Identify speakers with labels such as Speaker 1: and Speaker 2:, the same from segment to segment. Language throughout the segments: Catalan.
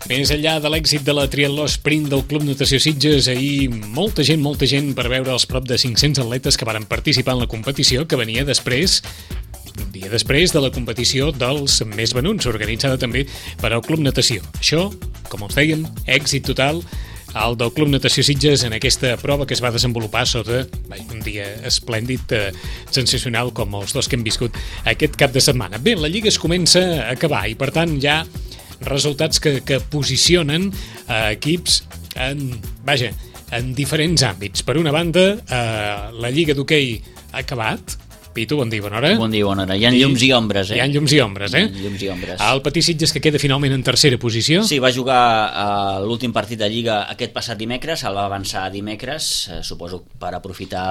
Speaker 1: Més enllà de l'èxit de la triatló sprint del Club Natació Sitges, ahir molta gent per veure els prop de 500 atletes que varen participar en la competició, que venia després, un dia després de la competició dels més venuts, organitzada també per al Club Natació. Això, com us dèiem, èxit total al del Club Natació Sitges en aquesta prova que es va desenvolupar sota un dia esplèndid, sensacional, com els dos que hem viscut aquest cap de setmana. Bé, la Lliga es comença a acabar i, per tant, ja resultats que posicionen equips en diferents àmbits. Per una banda, la Lliga d'Hoquei ha acabat. Pitu, bon dia, bona hora.
Speaker 2: Bon dia, bona hora. Hi ha llums i ombres,
Speaker 1: Hi ha llums i ombres,
Speaker 2: Llums i ombres.
Speaker 1: El Patí Sitges, que queda finalment en tercera posició.
Speaker 2: Sí, va jugar l'últim partit de Lliga aquest passat dimecres, el va avançar dimecres, suposo per aprofitar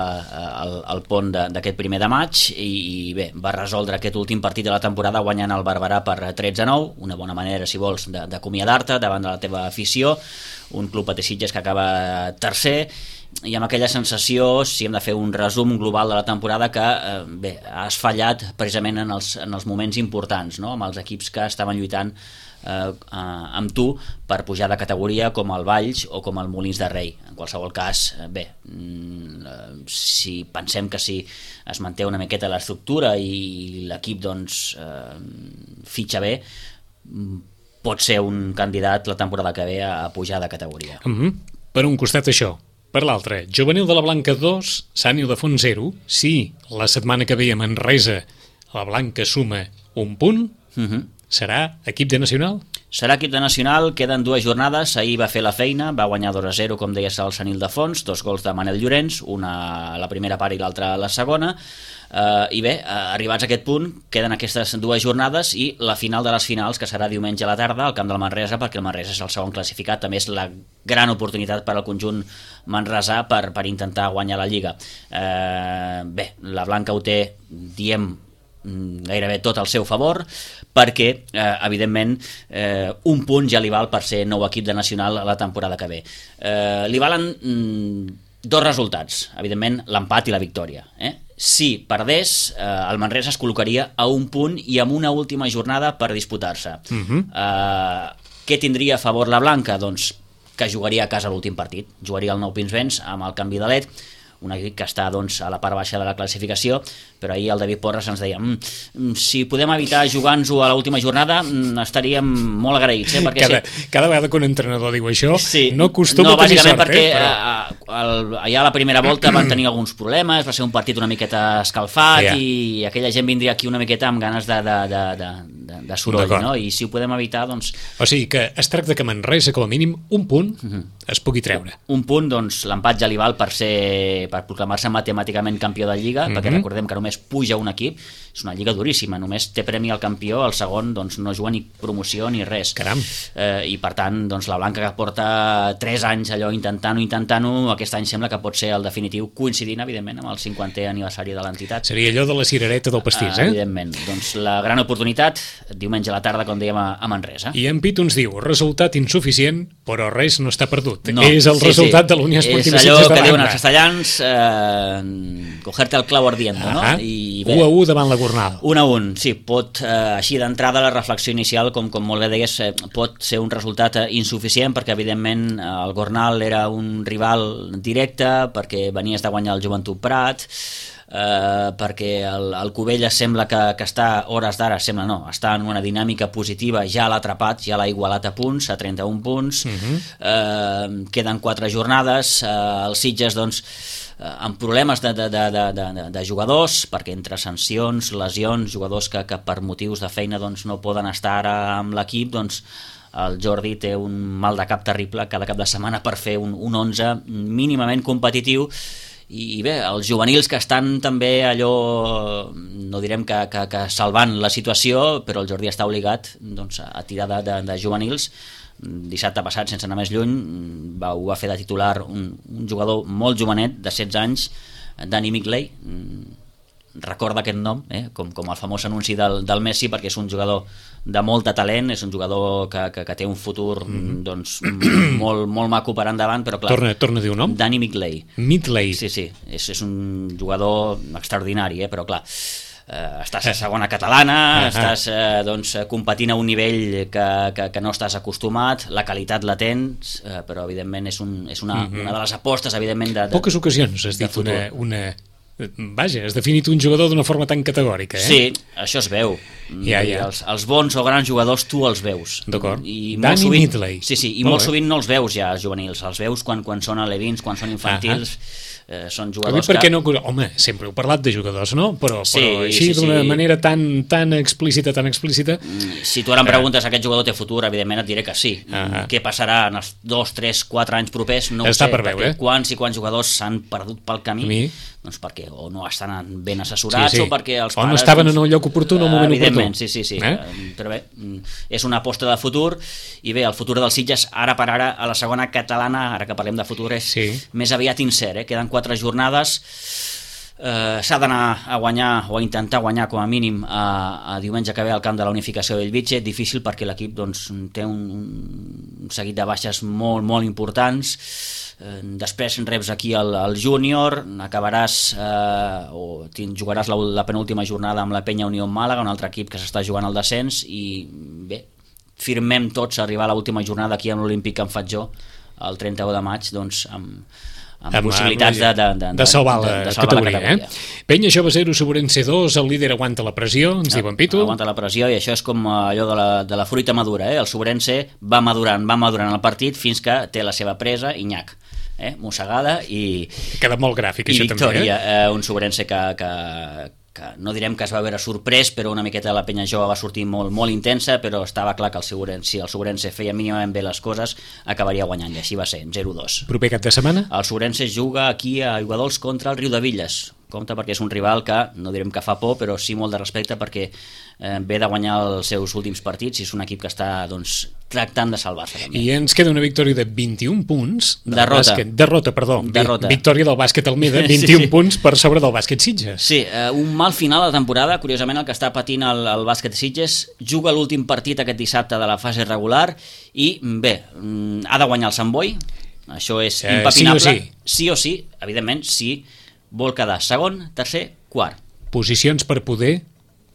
Speaker 2: el pont d'aquest primer de maig, i bé, va resoldre aquest últim partit de la temporada guanyant el Barberà per 13-9, una bona manera, si vols, d'acomiadar-te davant de la teva afició, un Club Patí Sitges que acaba tercer, i amb aquella sensació, si hem de fer un resum global de la temporada, que bé, has fallat precisament en els moments importants, no? Amb els equips que estaven lluitant amb tu per pujar de categoria, com el Valls o com el Molins de Rei. En qualsevol cas, bé, si pensem que si es manté una miqueta l'estructura i l'equip doncs fitxa bé, pot ser un candidat la temporada que ve a pujar de categoria.
Speaker 1: Per un costat això. Per l'altre, Juvenil de la Blanca 2, Sant Ildefons 0. Si la setmana que ve a Manresa la Blanca suma un punt, serà equip de nacional?
Speaker 2: Serà equip de nacional, queden 2 jornades, ahir va fer la feina, va guanyar 2-0, com deies, al Sant Ildefons, 2 gols de Manel Llorenç, una a la primera part i l'altra a la segona, i bé, arribats a aquest punt, queden aquestes 2 jornades i la final de les finals, que serà diumenge a la tarda al camp del Manresa, perquè el Manresa és el segon classificat, també és la gran oportunitat per al conjunt manresà per intentar guanyar la Lliga. Bé, la Blanca ho té, diem, gairebé tot al seu favor, perquè evidentment un punt ja li val per ser nou equip de nacional a la temporada que ve. Li valen 2 resultats, evidentment l'empat i la victòria. Si perdés, el Manresa es col·locaria a un punt i amb una última jornada per disputar-se. Què tindria a favor la Blanca? Doncs que jugaria a casa l'últim partit, jugaria el Nou Pinsbens amb el canvi de led, un equip que està doncs, a la part baixa de la classificació, però ahir el David Porres ens deia si podem evitar jugar-nos-ho a l'última jornada estaríem molt agraïts. Perquè
Speaker 1: cada vegada que un entrenador diu això
Speaker 2: sí,
Speaker 1: no acostuma a tenir sort.
Speaker 2: Perquè allà a la primera volta van tenir alguns problemes, va ser un partit una miqueta escalfat i aquella gent vindria aquí una miqueta amb ganes de soroll, no? I si ho podem evitar, doncs...
Speaker 1: O sigui que es tracta que Manresa, com a mínim, un punt es pugui treure.
Speaker 2: Un punt, doncs l'empat ja li val per proclamar-se matemàticament campió de Lliga, perquè recordem que només puja un equip, és una lliga duríssima, només té premi al campió, el segon doncs no juga ni promoció ni res.
Speaker 1: Caram.
Speaker 2: I per tant, doncs la Blanca, que porta 3 anys allò intentant-ho, aquest any sembla que pot ser el definitiu, coincidint evidentment amb el 50è aniversari de l'entitat.
Speaker 1: Seria allò de la cirereta del pastís,
Speaker 2: Evidentment, doncs la gran oportunitat, diumenge a la tarda, com dèiem, a Manresa.
Speaker 1: I en Pitu ens diu, resultat insuficient, però res no està perdut. És el resultat de l'Unió Esportiva Sitges de
Speaker 2: l'Anna. És allò que diuen els castellans, cogerte el clau ardiendo, no? I bé,
Speaker 1: 1-1 davant la Gornal.
Speaker 2: 1-1, sí, pot, així d'entrada la reflexió inicial, com molt bé deies, pot ser un resultat insuficient, perquè evidentment el Gornal era un rival directe, perquè venies de guanyar el Joventut Prat, perquè el Cubelles sembla que està, hores d'ara, està en una dinàmica positiva, ja l'ha atrapat, ja l'ha igualat a punts, a 31 punts, queden 4 jornades, el Sitges, doncs, amb problemes de jugadors, perquè entre sancions, lesions, jugadors que per motius de feina doncs, no poden estar ara amb l'equip, doncs el Jordi té un mal de cap terrible cada cap de setmana per fer un 11 mínimament competitiu. I bé, els juvenils que estan també allò, no direm que salvant la situació, però el Jordi està obligat doncs, a tirar de juvenils. Dissabte passat, sense anar més lluny, ho va fer de titular un jugador molt jovenet, de 16 anys, Danny Migley. Recorda aquest nom, com el famós anunci del Messi, perquè és un jugador de molt de talent, és un jugador que té un futur doncs, molt maco per endavant, però clar...
Speaker 1: Torna a dir un nom?
Speaker 2: Danny Migley.
Speaker 1: Migley.
Speaker 2: Sí, és un jugador extraordinari, però clar... estàs a segona catalana, estàs competint a un nivell que no estàs acostumat, la qualitat la tens, però evidentment és una de les apostes, evidentment,
Speaker 1: poques ocasions has dit vaja, has definit un jugador d'una forma tan categòrica,
Speaker 2: Sí, això es veu. Els bons o grans jugadors tu els veus.
Speaker 1: D'acord.
Speaker 2: Danny
Speaker 1: Midley.
Speaker 2: Sí, i molt sovint no els veus ja, els juvenils, els veus quan són alevins, quan són infantils. Són jugadors
Speaker 1: que... Home, sempre heu parlat de jugadors, no? Però així d'una manera tan explícita...
Speaker 2: Si tu ara em preguntes aquest jugador té futur, evidentment et diré que sí. Què passarà en els 2, 3, 4 anys propers? No ho sé, perquè quants i quants jugadors s'han perdut pel camí, doncs perquè o no estan ben assessorats o perquè els pares...
Speaker 1: O no estaven en el lloc oportú en el moment oportú.
Speaker 2: Evidentment, sí. Però bé, és una aposta de futur, i bé, el futur del Sitges, ara per ara, a la segona catalana, ara que parlem de futur, és més aviat incert, Queden 4 jornades, s'ha d'anar a guanyar o a intentar guanyar com a mínim a diumenge que ve al camp de la Unificació de Bellvitge. Difícil perquè l'equip té un seguit de baixes molt, molt importants. Després reps aquí el júnior, acabaràs jugaràs la penúltima jornada amb la Penya Unió Màlaga, un altre equip que s'està jugant al descens, i bé, firmem tots a arribar a l'última jornada aquí amb l'Olímpic Can Fatjó el 31 de maig, doncs amb possibilitats
Speaker 1: de salvar la categoria. Penya Jove 0, Sobrense 2, el líder aguanta la pressió, ens diuen Pitu.
Speaker 2: Aguanta la pressió, i això és com allò de la fruita madura, El Sobrense va madurant el partit fins que té la seva presa i nyac, mossegada i
Speaker 1: queda molt gràfic, això
Speaker 2: victòria,
Speaker 1: també.
Speaker 2: Un Sobrense que no direm que es va veure sorprès, però una miqueta la Penya Jove va sortir molt, molt intensa, però estava clar que si el Sobrense feia mínimament bé les coses, acabaria guanyant, i així va ser, 0-2.
Speaker 1: Proper cap de setmana?
Speaker 2: El Sobrense juga aquí a Aiguadols contra el Riudevilles. Compte, perquè és un rival que, no direm que fa por, però sí molt de respecte, perquè ve de guanyar els seus últims partits i és un equip que està tractant de salvar-se també.
Speaker 1: I ens queda una victòria de 21 punts
Speaker 2: derrota,
Speaker 1: victòria del bàsquet Almeda, 21 punts per sobre del bàsquet Sitges.
Speaker 2: Sí, un mal final de temporada, curiosament el que està patint el bàsquet Sitges. Juga l'últim partit aquest dissabte de la fase regular i bé, ha de guanyar el Sant Boi, això és impepinable, sí o sí, evidentment, sí, vol quedar segon, tercer, quart.
Speaker 1: Posicions per poder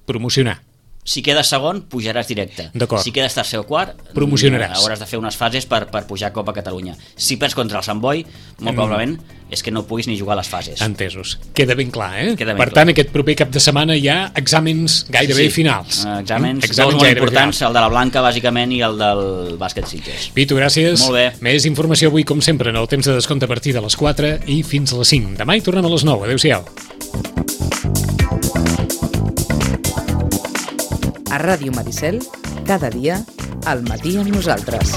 Speaker 1: promocionar.
Speaker 2: Si quedes segon, pujaràs directe. Si quedes tercer o quart,
Speaker 1: promocionaràs.
Speaker 2: Hauràs de fer unes fases per pujar a Copa Catalunya. Si perds contra el Sant Boi, molt probablement és que no puguis ni jugar a les fases.
Speaker 1: Entesos. Queda ben clar,
Speaker 2: Per
Speaker 1: tant, aquest proper cap de setmana hi ha exàmens gairebé finals.
Speaker 2: Exàmens dos molt importants, el de la Blanca, bàsicament, i el del bàsquet Sitges.
Speaker 1: Pitu, gràcies.
Speaker 2: Molt bé.
Speaker 1: Més informació avui, com sempre, en el temps de descompte a partir de les 4 i fins a les 5. Demà hi tornem a les 9. Adéu-siau.
Speaker 3: A Ràdio Maricel, cada dia, al matí amb nosaltres.